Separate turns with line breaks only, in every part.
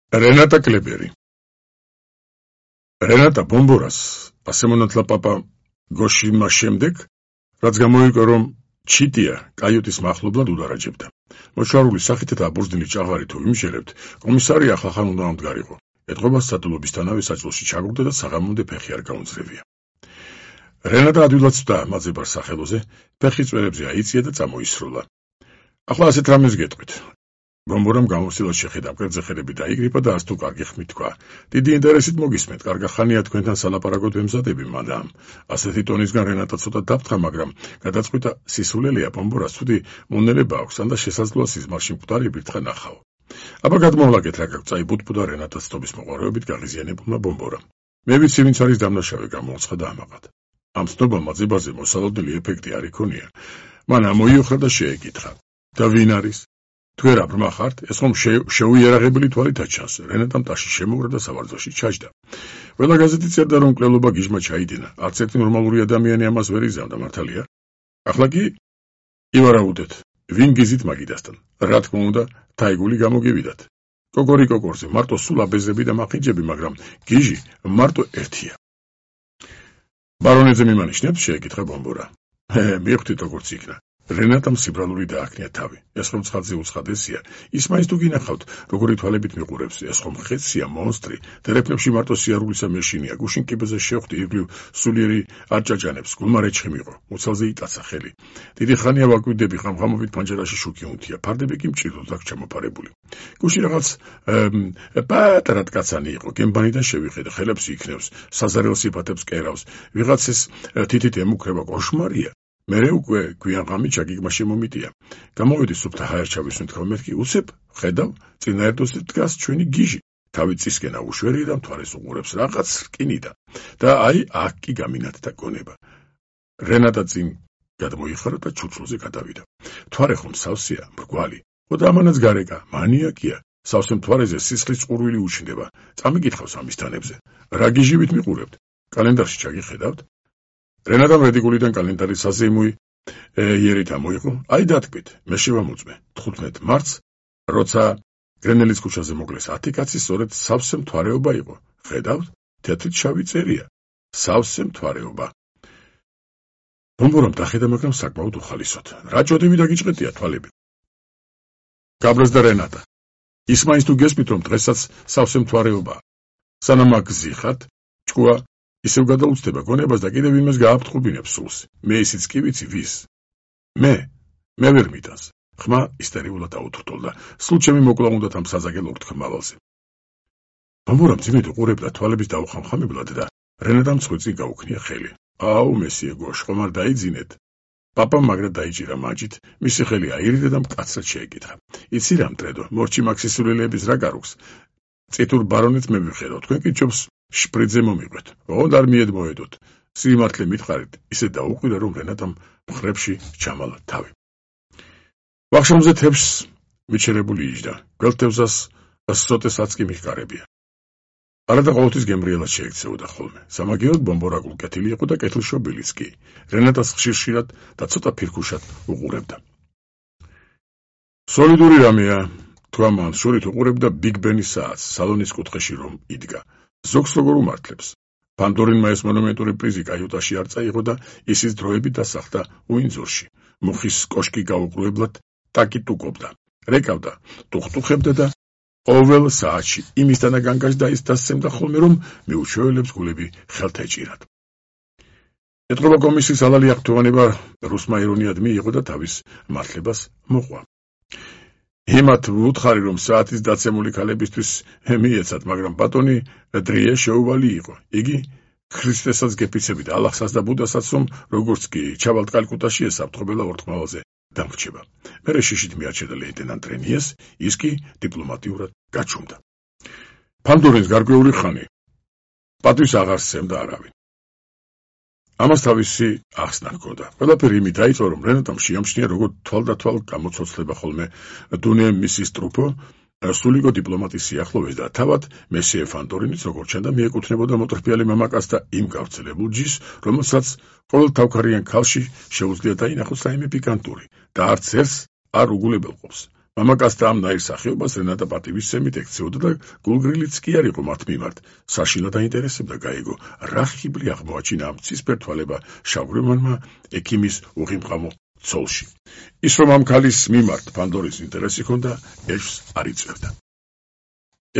რენატა კლებერი. რენატა ბომბორას ასე მონათლა პაპა გოშიმა შემდეგ, რაც გამოიგო რომ ჩიტია კაიუტის მახლობლად უდარაჯებდა. მოშარული სახით და აბურძდილი ჭაღარი თუ იმშერებთ, კომისარი ახალხან უნდა ამდგარიყო. ეთყობა სტატულობისთანავე საჭილოში ჩაგურდა და საღამომდე ფეხი არ გაუძლევია. რენატა ადვილად ცვდა მაძებარ სახელოზე, ფეხი წვერებზე აიწია და წამოისროლა. ახლა ასეთ რამეს გეტყვით. ბომბორამ გამოსილად შეხედა მკერდზე ხელები დაიგრიფა და არც თუ კარგი ხმით თქვა. დიდი ინტერესით მოგისმენთ, კარგა ხანია თქვენთან სალაპარაკოდ ვემზადები, მადამ. ასეთი ტონისგან რენატა ცოტა დაფრთხა, მაგრამ გადაწყვიტა სისულელეა ბომბორას ცუდი მონელება აქვს, ან და შესაძლოა სიზმარში მკვდარი ბირთხა ნახაო. აბა გადმოვლაგეთ რა გაქვს, წაიბუთბუდა რენატას ცნობის მოყვარეობით გაღიზიანებულმა ბომბორამ. მე ვიცი ვინც არის დამნაშავე, გამოუცხადა ამაყად. ამ ცნობამ მაძებაზე მოსალოდნელი ეფექტი არ იქონია. მან ამოიოხრა და შეეკითხა. და ვინ არის? თუ არა ბრმა ხართ, ეს ხომ შეუიარაღებელი თვალითაც ჩანს. რენატამ ტაში შემოურა და სავარძოში ჩაჯდა. ყველა გაზეთი წერდა რომ მკვლელობა გიჟმა ჩაიდინა. არც ერთი ნორმალური ადამიანი ამას ვერ იზამდა, მართალია? ახლა კი ივარაუდეთ, ვინ გიზით მაგიდასთან? რა თქმა უნდა, თაიგული გამოგივიდათ. კოკორი კოკორზე მარტო სულ აბეზები და მახინჯები, მაგრამ გიჟი მარტო ერთია. ბარონეზე მიმანიშნებს, შეეკითხა ბომბორა. მიხვდით როგორც იქნა. რენატამ სიბრალული დააქნია თავი. ეს ხომ ცხადზე უცხადესია. ის მაინც თუ გინახავთ, როგორი თვალებით მიყურებს, ეს ხომ ხეცია, მონსტრი. დერეფნებში მარტო სიარულისა მეშინია. გუშინ კიბეზე შევხვდი ირგვლივ სულიერი არჭაჭანებს, გულმარეჩხი მიყო. მუცელზე იტაცა ხელი. დიდი ხანია ვაკვირდები, ხამხამობით პანჯერაში შუქი უნთია. ფარდები კი მჭირდოდ აქ ჩამოფარებული. გუშინ რაღაც პატარა კაცანი იყო. გემბანიდან შევიხედე, ხელებს იქნევს, საზარელ სიფათებს კერავს. ვიღაცის თითით ემუქრება, კოშმარია. მერე უკვე გვიან ღამით ჩაგიგმა შემომიტია. გამოვედი სუფთა ჰაერჩავის მეთქვა, მეთქი უცებ, ხედავ, წინა ერთოსით დგას ჩვენი გიჟი. თავი წისკენა უშვერია და მთვარეს უყურებს რაღაც რკინიდან. და აი, აქ კი გამინათდა გონება. რენატა წინ გადმოიხარა და ჩუჩულზე გადავიდა. მთვარე ხომ სავსეა, მრგვალი. ხოდა ამანაც გარეკა, მანიაკია. სავსე მთვარეზე სისხლის წყურვილი უჩნდება. წამიკითხავს ამის თანებზე. რა გიჟივით მიყურებთ? კალენდარში ჩაგიხედავთ? რენატამ რედიგულიდან კალენდარი საზეიმოი იერით ამოიღო. აი დათქვით, მე შევამოწმე 15 მარტს, როცა გრენელის ქუჩაზე მოკლეს 10 კაცი, სწორედ სავსე მთვარეობა იყო. ხედავთ, თეთრით შავი წერია. სავსე მთვარეობა. ბომბორამ დახედა, მაგრამ საკმაოდ უხალისოდ. რა ჭოდები დაგიჭყეტია თვალები. გაბრაზდა რენატა. ის მაინც თუ გესმით, რომ დღესაც სავსე მთვარეობაა. სანამ აგზიხათ, ჭკუა ისევ გადაუცდება გონებას და კიდევ იმას გააფრთხობინებს სულს. მე ისიც კი ვიცი ვის. მე ვერ მიტანს. ხმა ისტერიულად აუთრტოლდა. სულ ჩემი მოკლა უნდათ ამ საზაგელო ურთქმავალზე. ბომბორამ ძიმედ უყურებდა თვალების დაუხამხამებლად და რენატამ ცხვირი გაუქნია ხელი. აუ მესიე გოშ, ხომ არ დაიძინეთ? პაპამ მაგრად დაიჭირა მაჯით, მისი ხელი აირიდა და მკაცრად შეეკითხა. იცი რა მტრედო, მორჩი მაქსისულელების რა გარუქს? წითურ ბარონეთს მე ვიხერავ, თქვენ კი ჯობს შპრიძე მომიყვეთ. ოღონდ არ მიედმოედოთ. სიმართლე მითხარით, ისე დაუყირა, რომ რენატამ მხრებში ჩამალა თავი. ვახშამზე თებს მიჩერებული იჯდა. გველთევზას სროტესაც კი მიხკარებია. არადა ყოველთვის გემრიელად შეექცეოდა ხოლმე. სამაგიეროდ ბომბორაგულ კეთილი იყო და კეთილშობილიც კი. რენატას ხშირ-ხშირად და ცოტა ფირქუშად უყურებდა. სოლიდური რამეა, თქვა მან, შორით უყურებდა ბიგ ბენის საათს, სალონის კუთხეში რომ იდგა. ზოგს როგორ უმართლებს. ფანდორინმა ეს მონუმენტური პრიზი კაიუტაში არ წაიღო და ისიც დროებით დასახდა უინძორში. მუხის კოშკი გაუყურებლად ტაკიტუკობდა. რეკავდა, ტუხტუხებდა და ყოველ საათში იმისთან განგაშდა ის დასცემდა ხოლმე, რომ მიუჩვეველებს გულები ხელთ ეჭირათ. ეთყობა კომისიის ალალი აღთხოვანება რუსმა ირონიად მიიღო და თავის მართლებას მოყვა. იმათ ვუთხარი, რომ საათის დაცემული ქალებისთვის მიეცათ, მაგრამ ბატონი დრიე შეუვალი იყო. იგი ქრისტესაც გეფიცებით, ალახსაც და ბუდასაც, რომ როგორც კი ჩავალთ კალკუტაში ესაფრთხობელა ურთმავალზე დამრჩება. მერე შიშით მიარჩედა ლეიტენანტ რენიეს, ის კი დიპლომატიურად გაჩუმდა. ფანდორინს გარკვეული ხანი პატვის აღარ სცემდა არავინ. ამას თავისი ახსნა ჰქონდა. ყველაფერი იმით დაიწყო, რომ რენატამ შეამჩნია, როგორ თვალდათვალ გამოცოცხლება ხოლმე დუნე მისის ტრუფო, სულიკო დიპლომატის სიახლოვეს და თავად მესიე ფანდორინიც, როგორც ჩანდა, მიეკუთვნებოდა მოტრფიალი მამაკაცს და იმ გავრცელებულ ჯიშს, რომელსაც ყოველ თავქარიან ქალში შეუძლია დაინახოს რაიმე პიკანტური და არც ერთს არ უგულებელყოფს. მამაკაცთა ამ ნაირ სახეობას რენატა პატივისცემით ექცეოდა და გულგრილიც კი არ იყო მათ მიმართ. საშინლად დაინტერესებდა გაიგო, რა ხიბლი აღმოაჩინა ამ ცისფერ თვალება შავგრემანმა ექიმის უღიმყამო ცოლში. ის რომ ამ ქალის მიმართ ფანდორის ინტერესი ჰქონდა, ეჭვს არ იწევდა.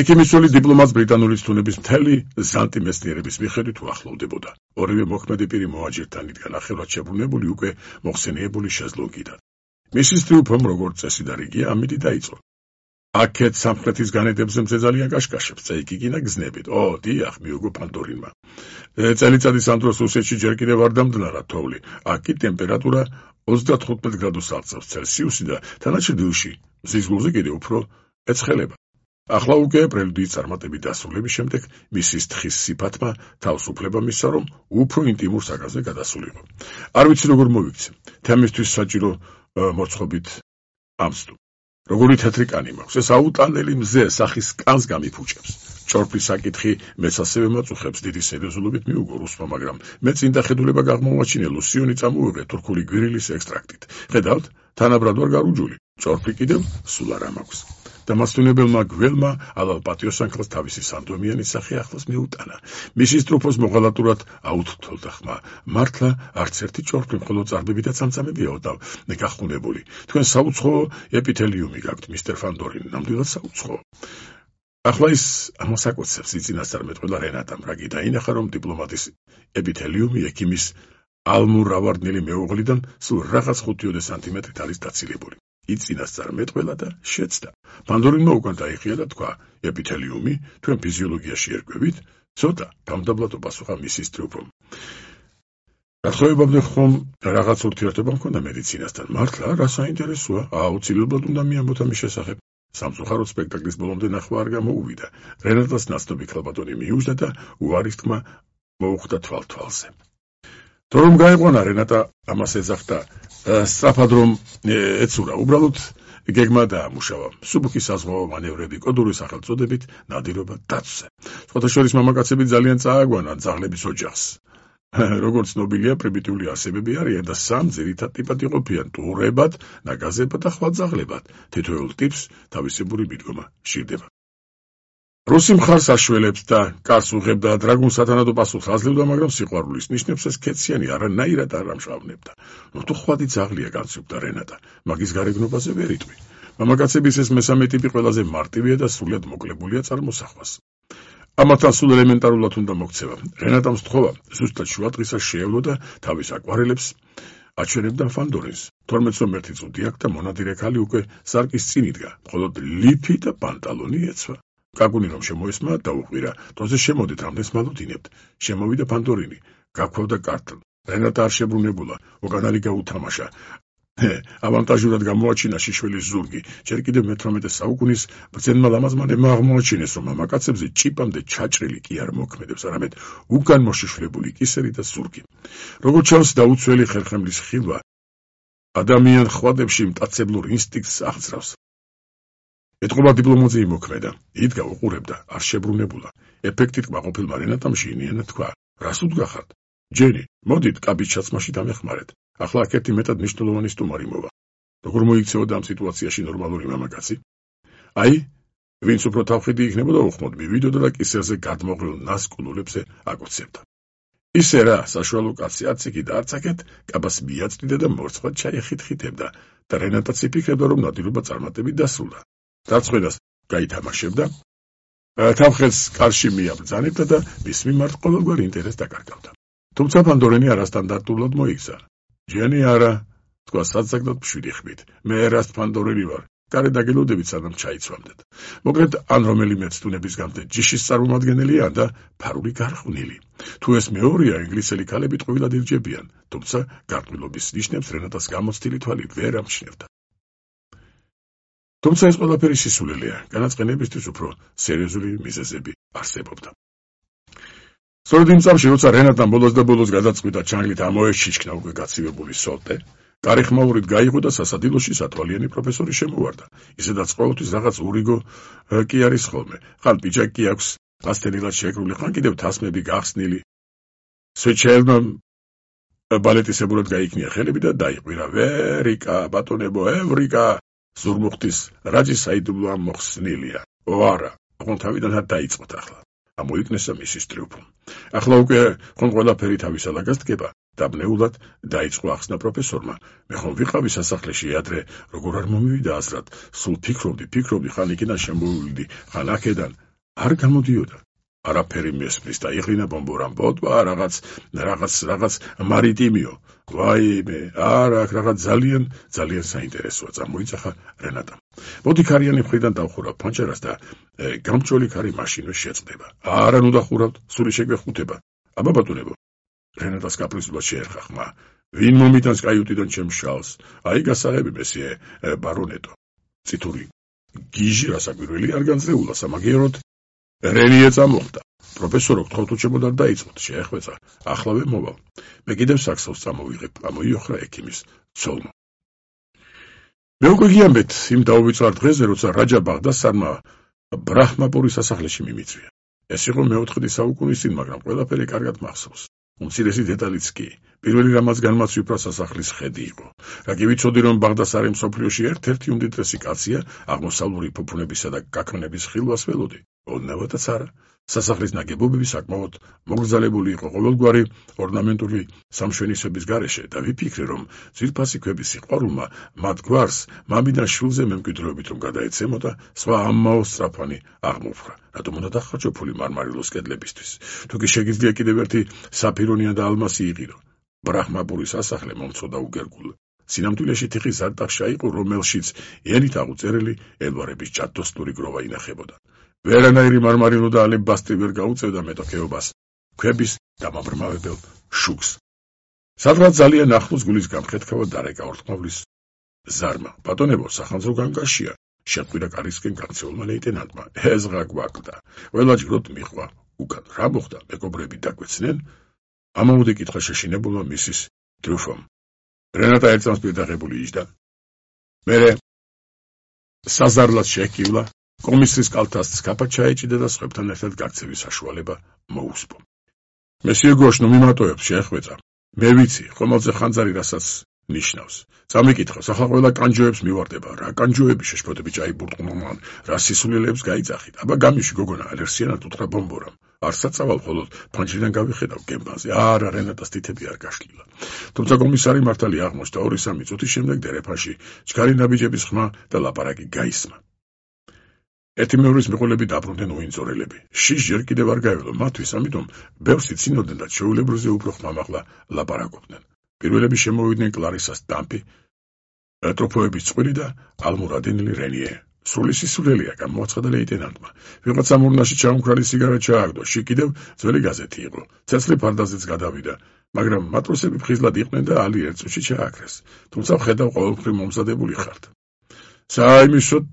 ექიმის ცოლი დიპლომატს ბრიტანული თუნების მთელი ზანტი მეცნიერების მიხედვით უახლოვდებოდა. ორივე მოქმედი პირი მოაჯირთან იდგა ნახევრად შებრუნებული უკვე მოხსენიებული შეზლონგიდან. მისის ტრიუმფომ როგორც წესი და რიგია ამით დაიწყო. აქეთ სამხრეთის განედებზე მზეძალიან კაშკაშებს წაიკიკინა გზნებით. დიახ, მიუგო ფანდორინმა. წელიწადის ამ დროს რუსეთში ჯერ კიდევ არ დამდნარა თოვლი. აქ კი ტემპერატურა 35 გრადუსს აღწევს ცელსიუსი და თანაჩრდილში მზის გულზე კიდევ უფრო ეცხელება. ახლა უკვე პრელუდიის წარმატებით დასრულების შემდეგ მისის თხის სიფათმა თავს უფლება მისცა, რომ უფრო ინტიმურ საკაზზე გადასულიყო. არ ვიცი როგორ მოვიქცე. თემისთვის საჭირო მოწყობით ამსტუ. როგორი თეთრი კანი მაქვს, ეს აუტანელი მზე სახის კანს გამიფუჭებს. ჭორფის საკითხი მეც ასევე მაწუხებს დიდი სერიოზულობით მიუგო რუსმა, მაგრამ მე წინ დახედულება აღმოვაჩინე ლუსიონი წამოვიღე თურქული გვირილის ექსტრაქტით. ხედავთ, თანაბრად ვარ გარუჯული. ჭორფი კიდევ სულ არ მაქვს. დამასვენებელმა გველმა ალალ პატიოსანქელს თავისი სანდომიანი სახე ახლოს მიუტანა. მისის ტრუფოს მოღალატურად აუთრთოლდა ხმა. მართლა არც ერთი ჭორფი, მხოლოდ წარბები და წამწამებიაო და გახუნებული. თქვენ საუცხოო ეპითელიუმი გაქვთ, მისტერ ფანდორინ, ნამდვილად საუცხოო. ახლა ის ამას აკოცებს იწინასწარმეტყველა რენატამ, რა დაინახა, რომ დიპლომატის ეპითელიუმი ექიმის ალმურავარდნილი მეუღლიდან სულ რაღაც 5 სანტიმეტრით არის დაცილებული. იწინასწარმეტყველა და შეცდა. ფანდორინმა უკან დაიხია და თქვა, ეპითელიუმი თქვენ ფიზიოლოგიაში ერკვევით? ცოტა გამდაბლად პასუხა მისის ტრიუმფომ. გათხოვებამდე ხომ რაღაც ურთიერთობა მქონდა მედიცინასთან? მართლა, რა საინტერესოა? აუცილებლად უნდა მიამბოთ ამის შესახებ. სამწუხაროდ სპექტაკლის ბოლომდე ნახვა არ გამოუვიდა. რენატას ნაცნობი ქალბატონი მიუჯდა და უარის თქმა მოუხვდა თვალ-თვალზე. თუ რომ გაიყვანა რენატა ამას ეძახდა, სწრაფად რომ ეცურა, უბრალოდ გეგმა დაამუშავა. მსუბუქი საზღვაო მანევრები კოდური სახელწოდებით ნადირობა დაცვზე. სხვათა შორის მამაკაცები ძალიან წააგვანან ძაღლების ოჯახს. როგორც ცნობილია, პრიმიტიული არსებები არიან და სამ ძირითად ტიპად იყოფიან: ტურებად, ნაგაზებად და ხვაძაღლებად. თითოეულ ტიპს თავისებური მიდგომა სჭირდება. რუსი მხარს აშველებს და კარს უღებდა, დრაგუნს სათანადო პასუხს აძლევდა, მაგრამ სიყვარულის ნიშნებს ეს ქეციანი არანაირად არ ამშავნებდა. თუ ხვადი ძაღლია, განცობდა რენატა, მაგის გარეგნობაზე ვერ იტყვი. მამაკაცების ეს მესამე ტიპი ყველაზე მარტივია და სრულიად მოკლებულია წარმოსახვას. ამათთან სულ ელემენტარულად უნდა მოქცევა. რენატამ სთხოვა, ზუსტად შუადღისას შეევლო და თავის აკვარელებს აჩვენებდა ფანდორინს. 12 წუთი აქ და მონადირე ქალი უკვე სარკის წინ იდგა, მხოლოდ ლიფი და პანტალონი ეცვა. გაგუნი რომ შემოესმა, დაუყვირა. თოზე შემოდით, რამდენს მალოდინებთ. შემოვიდა ფანდორინი, გაქვავდა კარტლ. რენატა არ შებრუნებულა, უკანალი გაუთამაშა. ავანტაჟურად გამოაჩინა შიშველის ზურგი. ჯერ კიდევ მე-18 საუკუნის ბრძენმა ლამაზმანებმა აღმოაჩინეს, რომ მამაკაცებზე ჭიპამდე ჩაჭრილი კი არ მოქმედებს, არამედ უკან მოშიშვლებული კისერი და ზურგი. როგორც ჩანს, დაუცველი ხერხემლის ხილვა ადამიან ხვადებში მტაცებლურ ინსტინქტს აღძრავს. ეთყობა დიპლომატი იმოქმედა, იდგა უყურებდა, არ შებრუნებულა. ეფექტით კმაყოფილმა რენატამ შეინიანად თქვა, რას უდგახართ? ჯენი, მოდით კაბის ჩაცმაში დამეხმარეთ. ახლა აქ-ერთი მეტად მნიშვნელოვანი სტუმარი მოვა. როგორ მოიქცეოდა ამ სიტუაციაში ნორმალური მამაკაცი? აი, ვინც უფრო თავხედი იქნებოდა, უხმოდ მივიდოდა და კისერზე გადმოღრილ ნასკულულებზე აკოცებდა. ისე რა, საშუალო კაცი არც იქი და არც აქეთ კაბას მიაწვდიდა და მორცხვად ჩაიხითხითებდა და რენატაც იფიქრებდა, რომ ნადირობა წარმატებით დასრულდა. დარწმუნებას გაითამაშებდა, თავხელს კარში მიაბრძანებდა და მის მიმართ ყოველგვარ ინტერესს დაკარგავდა. თუმცა ფანდორინი არასტანდარტულად მოიქცა. ჯენი არა, თქვა საცაგდად მშვიდი ხმით. მე ერას ფანდორინი ვარ. გარე დაგელოდებით, სანამ ჩაიცვამდეთ. მოკლედ, ან რომელიმე ცდუნების გამდე ჯიშის წარმომადგენელია და ფარული გარყვნილი. თუ ეს მეორეა, ინგლისელი ქალები ტყუილად ირჯებიან, თუმცა გარყვნილობის ნიშნებს რენატას გამოცდილი თვალი ვერ ამჩნევდა. თუმცა ეს ყველაფერი სისულელეა, განაწყენებისთვის უფრო სერიოზული მიზეზები არსებობდა. სწორედ იმ წამში, როცა რენატამ ბოლოს და ბოლოს გადაწყვიტა ჩანგლით ამოეჩიჩქნა უკვე გაცივებული სოლტე, კარიხმაურით გაიღო და სასადილოში სათვალიანი პროფესორი შემოვარდა. ისედაც ყოველთვის რაღაც ურიგო კი არის ხოლმე. ხან პიჯაკი კი აქვს ასთენილად შეკრული, ხან კიდევ თასმები გახსნილი. სვეჩელმა ბალეტისებურად გაიქნია ხელები და დაიყვირა. ვერიკა, ბატონებო, ევრიკა! ზურმუხტის რაჯი საიდუმლო ამ მოხსნილია. ო არა, ოღონდ თავიდანაც დაიწყოთ ახლა. ამოიქნესა მისის ტრიუმფი. ახლა უკვე ხომ ყველაფერი თავის ალაგას დგება. დაბნეულად დაიწყო ახსნა პროფესორმა. მე ხომ ვიყავი სასახლეში ადრე, როგორ არ მომივიდა აზრად. სულ ფიქრობდი, ხან იქიდან შემოვივიდი, ხან აქედან. არ გამოდიოდა. არაფერი მესმის და იღლინა ბომბორამ ბოტვა რაღაც მარიტიმიო. ვაიმე, არა, აქ რაღაც ძალიან საინტერესოა. წამოიძახა რენატამ. მოდი ქარიანი მხრიდან დავხურავ ფანჯარას და გამჭოლი ქარი მაშინვე შეწყდება. არა, ნუ დახურავთ, სული შეგვეხუთება. აბა ბატონებო, რენატას კაპრიზულად შეერხა ხმა. ვინ მომიტანს კაიუტიდან ჩემს შალს? აი გასაღები მესიე ბარონეტო. წითური გიჟი რასაკვირველი არ განწეულა სამაგიეროდ. რენიე წამოხდა. პროფესორო, გთხოვთ უჩემოდარ დაიწყოთ, შეეხვეწა. ახლავე მოვალ. მე კიდევ საქსავს წამოვიღებ, ამოიოხრა ექიმის ცოლმა. მე უკვე გიამბეთ იმ დაუვიწყარ დღეზე, როცა რაჯა ბაღდასარმა ბრაჰმაპურის სასახლეში მიმიწვია. ეს იყო მეოთხე საუკუნის წინ, მაგრამ ყველაფერი კარგად მახსოვს. უმცირესი დეტალიც კი, პირველი რამაც განმაცვიფრა სასახლის ხედი იყო. რა კი ვიცოდი, რომ ბაღდასარი მსოფლიოში ერთ-ერთი უმდიდრესი კაცია, აღმოსავლური ფუფუნებისა და გაქმნების ხილვას ველოდი. ოდნავადაც არა. სასახლის ნაგებობები საკმაოდ მოგრძალებული იყო ყოველგვარი ორნამენტული სამშვენისობის გარეშე და ვიფიქრე, რომ ძვირფასი ქვების სიყვარულმა მათ გვარს მამიდან შვილზე მემკვიდრეობით რომ გადაეცემოდა, სხვა ამაო სწრაფანი აღმოფხვრა. რატომ უნდა დახარჯო ფული მარმარილოს კედლებისთვის? თუ კი შეგიძლია კიდევ ერთი საფირონია და ალმასი იყირო. ბრაჰმაპურის სასახლე მომწოდა უგერგულ სინამდვილეში თიხის ზარდახშა იყო, რომელშიც ელით აღუწერელი ელვარების ჭადოსნური გროვა ინახებოდა. ვერანაირი მარმარილო და ალებასტრი ვერ გაუწევდა მეტოქეობას ქვების დამაბრმავებელ შუქს. სადღაც ძალიან ახლოს გულის გამხეთქავა დარეკა ორთმავლის ზარმა. ბატონებო, სახანძრო განგაშია, შეყვირა კარისკენ გაქცეულმა ლეიტენანტმა. ეზღა გვაკლდა. ყველა ჯგროდ მიხვა. უკან რა მოხდა? მეგობრები დაგვეცნენ? ამაუდი კითხვა შეშინებულმა მისის ტრიუმფომ. რენატა ერთმანეთს პირდაღებული იჯდა. მერე საზარლად შეჰკივლა. კომისრის კალთას სკაფად ჩაეჭიდა და სხვებთან ერთად გაქცევის საშუალება მოუსპო. მესიე გოშ, ნუ მიმატოებ, შეეხვეწა. მე ვიცი, ხომალდზე ხანძარი რასაც ნიშნავს. წამიკითხავს, ახლა ყველა კანჯოებს მივარდება. რა კანჯოები შეშფოთები ჭაიბურტყნო მან, რა სისულელებს გაიძახით. აბა გამიში გოგონა, ალერსიანად უთხრა ბომბორამ. არცაც წავალ, ხოლოდ ფანჯრიდან გავიხედავ გემბანზე. არა, რენატას თითები არ გაშლილა. თუმცა კომისარი მართალი აღმოჩნდა 2-3 წუთის შემდეგ დერეფანში ჩქარი ნაბიჯების ხმა და ლაპარაკი გაისმა. ერთი მეორის მიყოლები დაბრუნდნენ უინწორელები. შიშ ჯერ კიდევ არ გაევლო მათთვის, ამიტომ ბევრს იცინოდნენ და ჩვეულებრივზე უფრო ხმამაღლა ლაპარაკობდნენ. პირველები შემოვიდნენ კლარისას დამპი, ტროფოების წყვილი და ალმურადინელი რენიე. სრული სისულელია, გამოაცხადა ლეიტენანტმა. ვიღაცა მურნაში ჩაუმქრალი სიგარა ჩააგდო, შიგ კიდევ ძველი გაზეთი იყო. ცეცხლი ფარდაზეც გადავიდა, მაგრამ მატროსები ფხიზლად იყვნენ და ალი ერთ წუთში ჩააქრეს. თუმცა ვხედავ ყოველმხრივ მომზადებული ხართ. საიმისოდ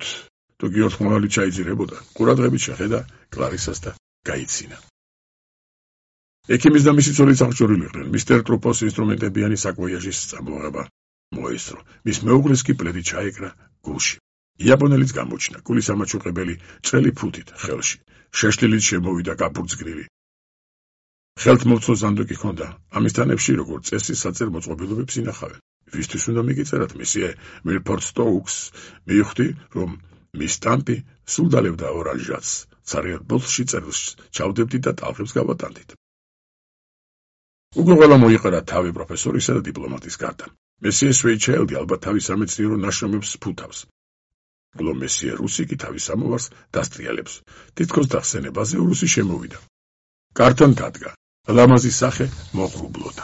თუ კი ოთხმოვალი ჩაიძირებოდა, ყურადღებით შეხედა კლარისას და გაიცინა. ექიმის და მისი ცოლიც აღჭურვილი იყვნენ. მისტერ ტრუპოს ინსტრუმენტებიანი საკვოიაჟის წამოღება მოესწრო. მის მეუღლეს კი პლედი ჩაეკრა გულში. იაპონელიც გამოჩნდა, გულის ამაჩუყებელი ჭრელი ფუთით ხელში. შეშლილით შემოვიდა გაბურძგნილი. ხელთ მოცო ზანდოკი ჰქონდა. ამისთან ებში როგორც წესი საწერ მოწყობილობებს ინახავენ. ვისთვის უნდა მიგიწერათ, მისიე მილფორდ სტოუქს? მივხვდი, რომ მის ტამპი სულ დალებდა ორანჟატს. ცარიელ ბოლში წერილს ჩავდებდით და ტალღებს გავატანდით. უკვე ყველა მოიყარა თავი პროფესორისა და დიპლომატის გარდა. მესიე სვეიჩაილდი ალბათ თავის სამეცნიერო ნაშრომებს ფუთავს. გლო მესიე რუსი კი თავის სამოვარს დასტრიალებს. თითქოს დახსენებაზე რუსი შემოვიდა. კართან დადგა. ლამაზის სახე მოღრუბლოდა.